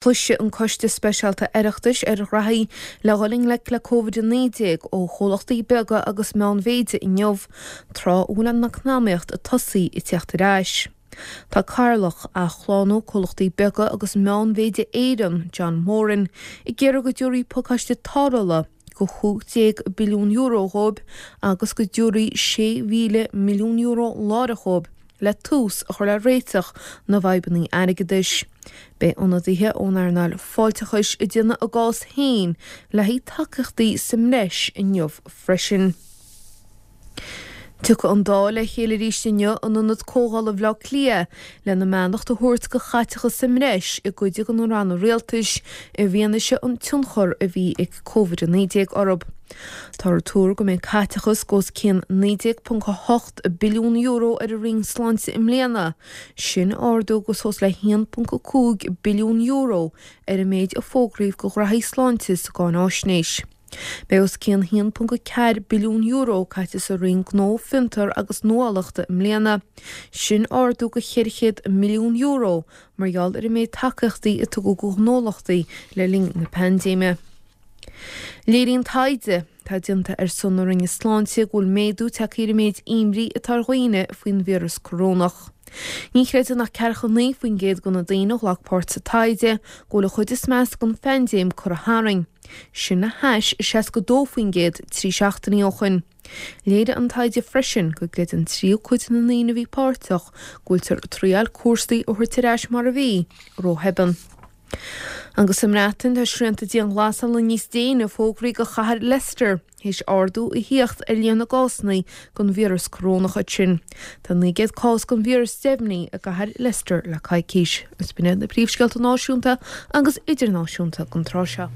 Cloisfidh an Coiste Speisialta Oireachtais ar ghraithí le dhul i ngleic le Covid-19 ó chomhlachtaí beaga agus meánmhéide inniu, tráth a bhfuil an eacnamaíocht ag tosaí ag tíocht ar ais. Tá Cathaoirleach Athshlánú Comhlachtaí Beaga agus Meánmhéide Éireann, John Moran, ag iarraidh go dtabharfaí pacáiste tarrthála de €15 billiún dhóibh agus go dtabharfaí €6,000 milliún láithreach dhóibh le tús a chur le réiteach na bhfadhbanna airgeadais. Beidh ionadaithe ón earnáil fáilteachais ag déanamh a gcás féin le haghaidh tacaíochtaí sa mbreis inniu freisin. Tiocfaidh an Dáil le chéile arís inniu in Ionad Comhdhála Bhaile Átha Cliath lena mbeannacht a thabhairt do chaiteachas sa mbreis i gcuid de na ranna rialtais i bhfianaise an tionchar a bhí ag Covid-19 orthu. Táthar ag tuar go mbeidh caiteachas de os cionn €19.8 billiún ar an Roinn Sláinte i mbliana, sin ardú de suas le €1.5 billiún ar an méid a fógraíodh do ghraithí sláinte sa gcáináisnéis. Beidh os cionn €1.4 billiún caite sa Roinn Gnó, Fiontar agus Nuálachta i mbliana, sin ardú de €400 milliún mar gheall ar an méid tacaíochtaí a tugadh do ghnólachtaí le linn na paindéime. Léiríonn taighde atá déanta ar son na Roinne Sláinte go bhfuil méadú tagtha ar an méid imní atá ar dhaoine faoin víreas corónach. Ní chreideann ach 49% de na daoine a ghlac páirt sa taighde go bhfuil an chuid is measa den phaindéim curtha tharainn, sin le hais 62% 3 seachtainí ó shin. Léirigh an taighde freisin go gcreideann tríú cuid de na ndaoine a bhí páirteach go bhfuiltear ag triail cúrsaí a thabhairt ar ais mar a bhí, róthobann. Agus sa mBreatain, tá srianta dianghlasála níos déine fógraithe do chathair Leicester théis ardú a thíocht ar líon na gcásanna den víreas corónach ansin. Tá 900 cás den víreas deimhnithe i gcathair Leicester le coicís. Agus b'in iad na príomhscéalta náisiúnta agus idirnáisiúnta don tráth seo.